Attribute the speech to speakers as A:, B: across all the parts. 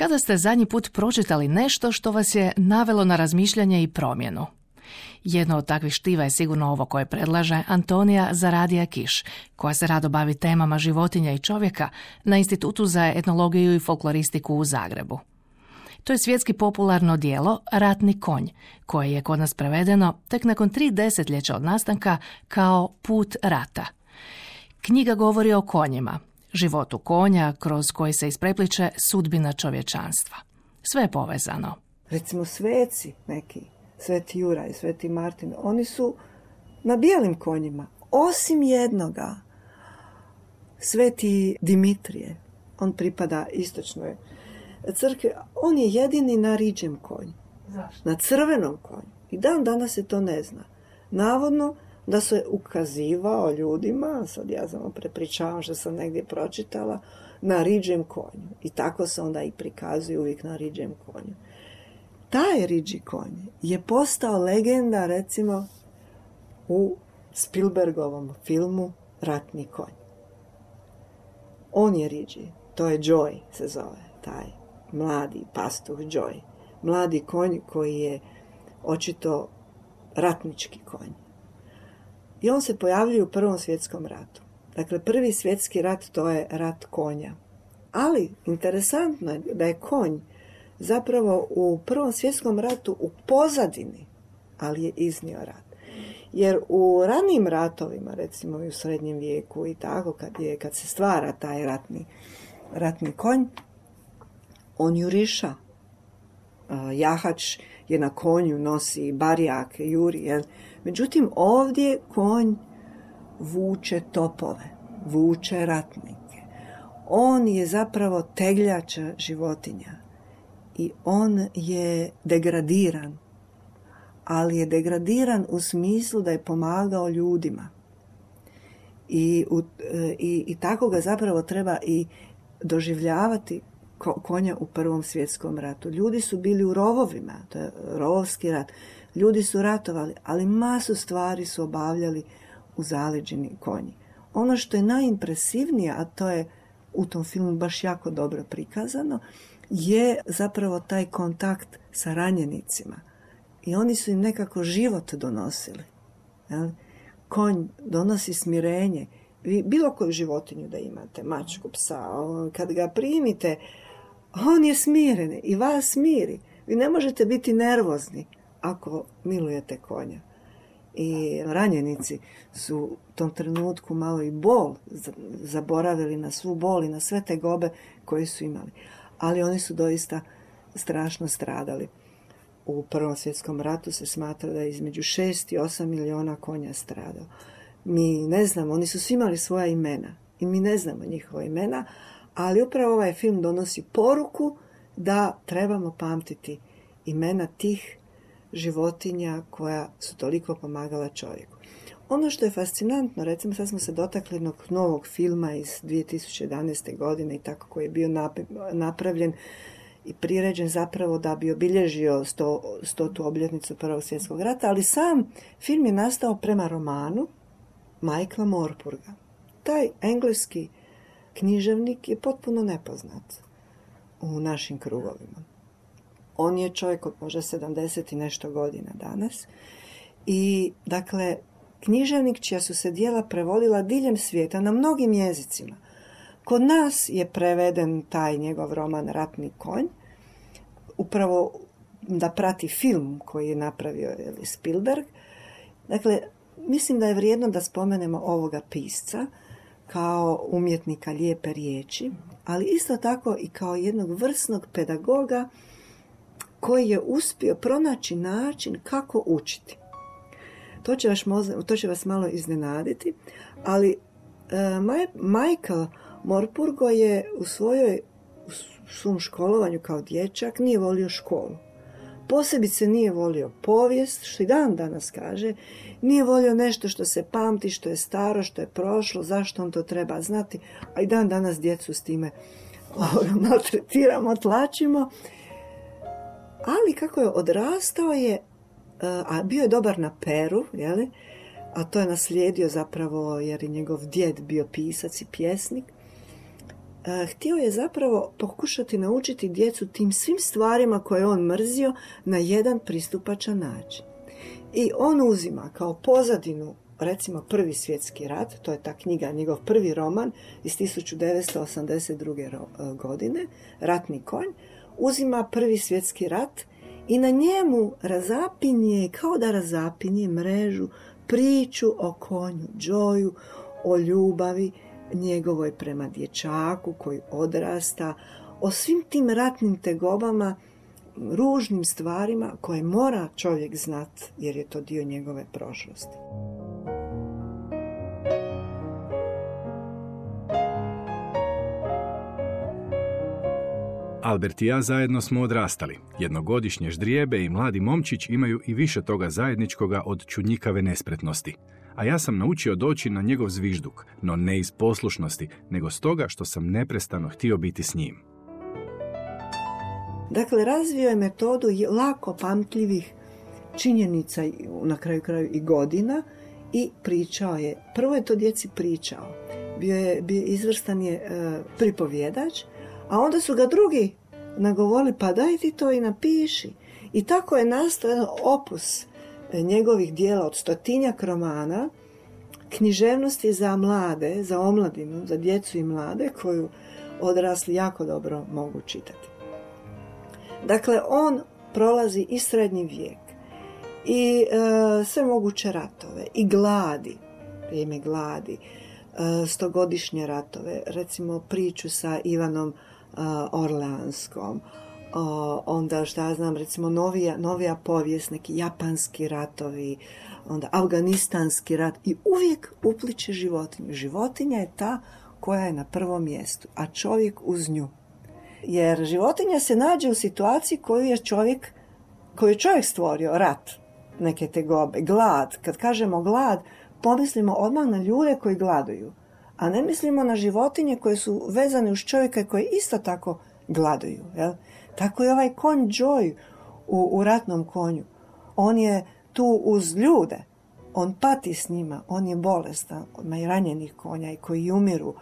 A: Kada ste zadnji put pročitali nešto što vas je navelo na razmišljanje i promjenu? Jedno od takvih štiva je sigurno ovo koje predlaže Antonija Zaradija Kiš, koja se rado bavi temama životinja i čovjeka na Institutu za etnologiju i folkloristiku u Zagrebu. To je svjetski popularno djelo Ratni konj, koje je kod nas prevedeno tek nakon 3 desetljeća od nastanka kao Put rata. Knjiga govori o konjima, životu konja kroz koji se isprepliče sudbina čovječanstva. Sve je povezano.
B: Recimo sveci neki, Sveti Juraj, Sveti Martin, oni su na bijelim konjima, osim jednoga, Sveti Dimitrije, on pripada istočnoj crkvi, on je jedini na riđem konju.
A: Zašto?
B: Na crvenom konju. I dan danas se to ne zna. Navodno da se ukazivao ljudima, sad ja samo prepričavam što sam negdje pročitala, na riđem konju. I tako se onda i prikazuje uvijek na riđem konju. Taj riđi konj je postao legenda, recimo, u Spielbergovom filmu Ratni konj. On je riđi, to je Joy se zove, taj mladi pastuh Joy. Mladi konj koji je očito ratnički konj. I on se pojavljuje u Prvom svjetskom ratu. Dakle, Prvi svjetski rat to je rat konja. Ali interesantno je da je konj zapravo u Prvom svjetskom ratu u pozadini, ali je iznio rat. Jer u ranijim ratovima, recimo i u srednjem vijeku i tako, kad se stvara taj ratni konj, on juriša. Jahač je na konju, nosi barjak, juri. Jel? Međutim, ovdje konj vuče topove, vuče ratnike. On je zapravo tegljača životinja i on je degradiran, ali je degradiran u smislu da je pomagao ljudima. I tako ga zapravo treba i doživljavati konja u Prvom svjetskom ratu. Ljudi su bili u rovovima, to je rovovski rat. Ljudi su ratovali, ali masu stvari su obavljali u zaleđini konji. Ono što je najimpresivnije, a to je u tom filmu baš jako dobro prikazano, je zapravo taj kontakt sa ranjenicima. I oni su im nekako život donosili. Jel? Konj donosi smirenje. Vi bilo koju životinju da imate, mačku, psa, kad ga primite, on je smiren i vas smiri. Vi ne možete biti nervozni ako milujete konja. I ranjenici su u tom trenutku malo i bol zaboravili na svu bol i na sve te gobe koje su imali. Ali oni su doista strašno stradali. U Prvom svjetskom ratu se smatra da je između 6 i 8 milijuna konja stradao. Mi ne znamo, oni su svi imali svoja imena i mi ne znamo njihova imena, ali upravo ovaj film donosi poruku da trebamo pamtiti imena tih životinja koja su toliko pomagala čovjeku. Ono što je fascinantno, recimo sad smo se dotakli jednog novog filma iz 2011. godine i tako koji je bio napravljen i priređen zapravo da bi obilježio 100. obljetnicu Prvog svjetskog rata, ali sam film je nastao prema romanu Michaela Morpurga. Taj engleski književnik je potpuno nepoznat u našim krugovima. On je čovjek od možda 70 i nešto godina danas i dakle književnik čija su se djela prevodila diljem svijeta na mnogim jezicima. Kod nas je preveden taj njegov roman Ratni konj, upravo da prati film koji je napravio Spielberg. Dakle, mislim da je vrijedno da spomenemo ovoga pisca kao umjetnika lijepe riječi, ali isto tako i kao jednog vrsnog pedagoga koji je uspio pronaći način kako učiti. To će vas malo iznenaditi, ali Michael Morpurgo je u svom školovanju kao dječak nije volio školu. Posebice nije volio povijest, što i dan danas kaže, nije volio nešto što se pamti, što je staro, što je prošlo, zašto on to treba znati, a i dan danas djecu s time maltretiramo, tlačimo. Ali kako je odrastao je, a bio je dobar na peru, jeli? A to je naslijedio zapravo jer je njegov djed bio pisac i pjesnik, htio je zapravo pokušati naučiti djecu tim svim stvarima koje on mrzio na jedan pristupačan način. I on uzima kao pozadinu, recimo, Prvi svjetski rat, to je ta knjiga, njegov prvi roman iz 1982. godine, Ratni konj, uzima Prvi svjetski rat i na njemu razapinje, kao da razapinje mrežu, priču o konju Joeju, o ljubavi njegovoj prema dječaku koji odrasta, o svim tim ratnim tegobama, ružnim stvarima koje mora čovjek znat jer je to dio njegove prošlosti.
C: Albert i ja zajedno smo odrastali. Jednogodišnje ždrijebe i mladi momčić imaju i više toga zajedničkoga od čudnjikave nespretnosti. A ja sam naučio doći na njegov zvižduk, no ne iz poslušnosti, nego stoga što sam neprestano htio biti s njim.
B: Dakle, razvio je metodu lako pamtljivih činjenica, na kraju i godina, i pričao je. Prvo je to djeci pričao. Bio izvrstan je pripovjedač, a onda su ga drugi nagovorili, pa daj ti to i napiši. I tako je nastao jedan opus njegovih dijela od 100-tinjak romana, književnosti za mlade, za omladinu, za djecu i mlade, koju odrasli jako dobro mogu čitati. Dakle, on prolazi i srednji vijek, i sve moguće ratove, i gladi, vrijeme gladi, 100-godišnje ratove, recimo priču sa Ivanom Orleanskom, onda recimo novija povijest, neki japanski ratovi, onda afganistanski rat, i uvijek upliče životinju. Životinja je ta koja je na prvom mjestu, a čovjek uz nju. Jer životinja se nađe u situaciji koju je čovjek stvorio, rat, neke tegobe, glad. Kad kažemo glad, pomislimo odmah na ljude koji gladuju, a ne mislimo na životinje koje su vezane uz čovjeka koje isto tako gladuju. Jel? Tako je ovaj konj Joe u Ratnom konju. On je tu uz ljude, on pati s njima, on je bolestan, ima i ranjenih konja i koji umiru,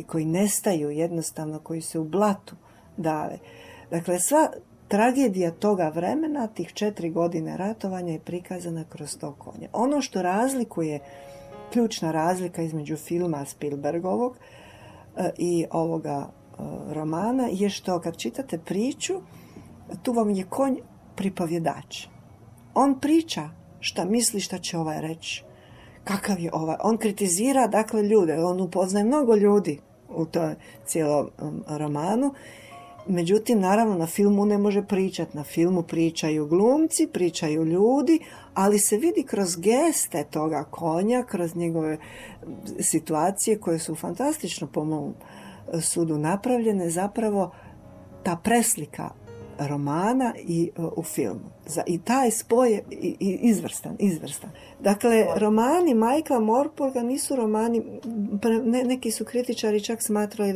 B: koji nestaju jednostavno, koji se u blatu dave. Dakle, sva tragedija toga vremena, tih 4 godine ratovanja, je prikazana kroz to konje. Ono što razlikuje, ključna razlika između filma Spielbergovog i ovoga romana, je što kad čitate priču, tu vam je konj pripovjedač. On priča šta misli, šta će ovaj reći, kakav je ovaj. On kritizira, dakle, ljude. On upoznaje mnogo ljudi u toj cijelom romanu. Međutim, naravno, na filmu ne može pričati. Na filmu pričaju glumci, pričaju ljudi, ali se vidi kroz geste toga konja, kroz njegove situacije koje su fantastično, po mom sudu, napravljene, zapravo ta preslika romana i u filmu. I taj spoj je izvrstan. Dakle, romani Michaela Morpurga nisu romani, neki su kritičari čak smatrali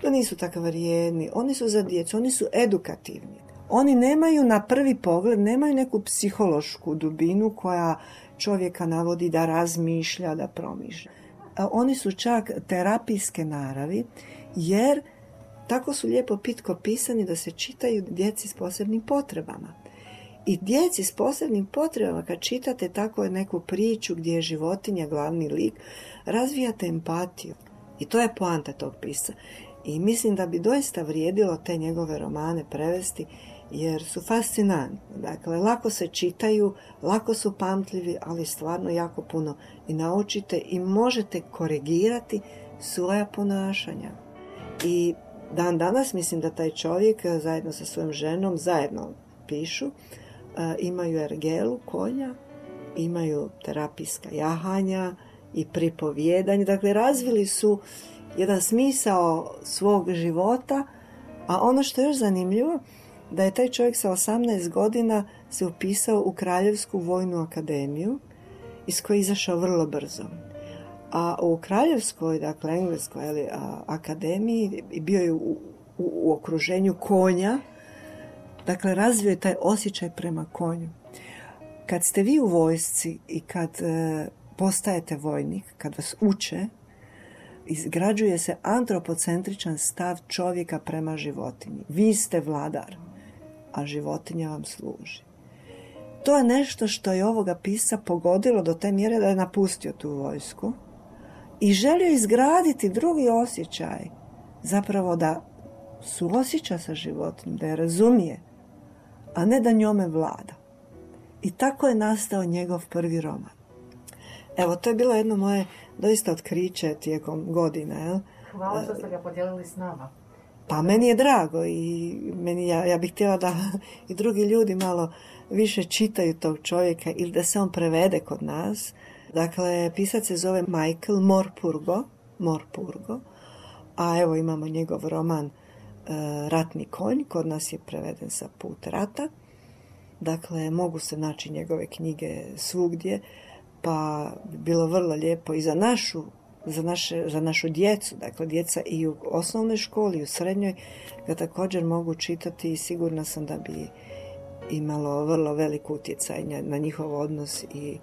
B: da nisu tako vrijedni. Oni su za djecu, oni su edukativni. Oni nemaju na prvi pogled, nemaju neku psihološku dubinu koja čovjeka navodi da razmišlja, da promišlja. Oni su čak terapijske naravi, jer tako su lijepo pitko pisani da se čitaju djeci s posebnim potrebama. I djeci s posebnim potrebama, kad čitate tako neku priču gdje je životinja glavni lik, razvijate empatiju. I to je poanta tog pisca. I mislim da bi doista vrijedilo te njegove romane prevesti, jer su fascinantni. Dakle, lako se čitaju, lako su pamtljivi, ali stvarno jako puno i naučite i možete korigirati svoja ponašanja. I dan danas mislim da taj čovjek zajedno sa svojom ženom zajedno pišu, imaju ergelu konja, imaju terapijska jahanja i pripovjedanje. Dakle, razvili su jedan smisao svog života, a ono što je još zanimljivo, da je taj čovjek sa 18 godina se upisao u Kraljevsku vojnu akademiju, iz koje je izašao vrlo brzo. A u Kraljevskoj, dakle Engleskoj akademiji, bio je u okruženju konja, dakle razvio je taj osjećaj prema konju. Kad ste vi u vojsci i kad postajete vojnik, kad vas uče, izgrađuje se antropocentričan stav čovjeka prema životinji. Vi ste vladar, a životinja vam služi. To je nešto što je ovoga pisca pogodilo do te mjere da je napustio tu vojsku i želio izgraditi drugi osjećaj, zapravo da suosjeća sa životinjom, da je razumije, a ne da njome vlada. I tako je nastao njegov prvi roman. Evo, to je bilo jedno moje doista otkriće tijekom godina. Jel?
A: Hvala što ste ga podijelili s nama.
B: Pa meni je drago i ja bih htjela da i drugi ljudi malo više čitaju tog čovjeka ili da se on prevede kod nas. Dakle, pisac se zove Michael Morpurgo, a evo imamo njegov roman Ratni konj, kod nas je preveden sa Put rata. Dakle, mogu se naći njegove knjige svugdje, pa bi bilo vrlo lijepo i za našu djecu, dakle djeca i u osnovnoj školi i u srednjoj ga također mogu čitati i sigurna sam da bi imalo vrlo velik utjecaj na njihov odnos i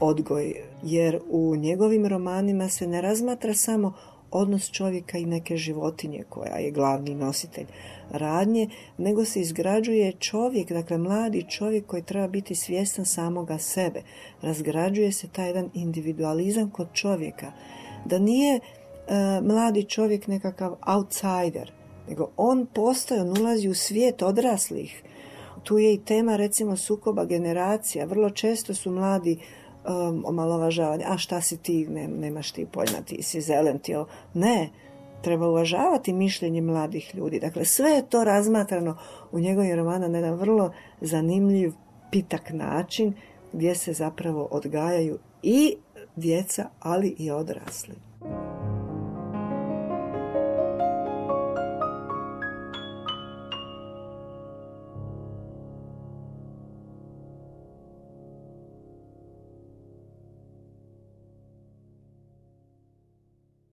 B: odgoj, jer u njegovim romanima se ne razmatra samo odnos čovjeka i neke životinje koja je glavni nositelj radnje, nego se izgrađuje čovjek, dakle mladi čovjek koji treba biti svjestan samoga sebe. Razgrađuje se taj jedan individualizam kod čovjeka, da nije mladi čovjek nekakav outsider, nego on postoji, on ulazi u svijet odraslih. Tu je i tema recimo sukoba generacija. Vrlo često su mladi omalovažavani. A šta si ti, nemaš ti pojma, ti si zelen, ti ovo. Ne, treba uvažavati mišljenje mladih ljudi. Dakle, sve je to razmatrano u njegovim romanu na jedan vrlo zanimljiv, pitak način gdje se zapravo odgajaju i djeca, ali i odrasli.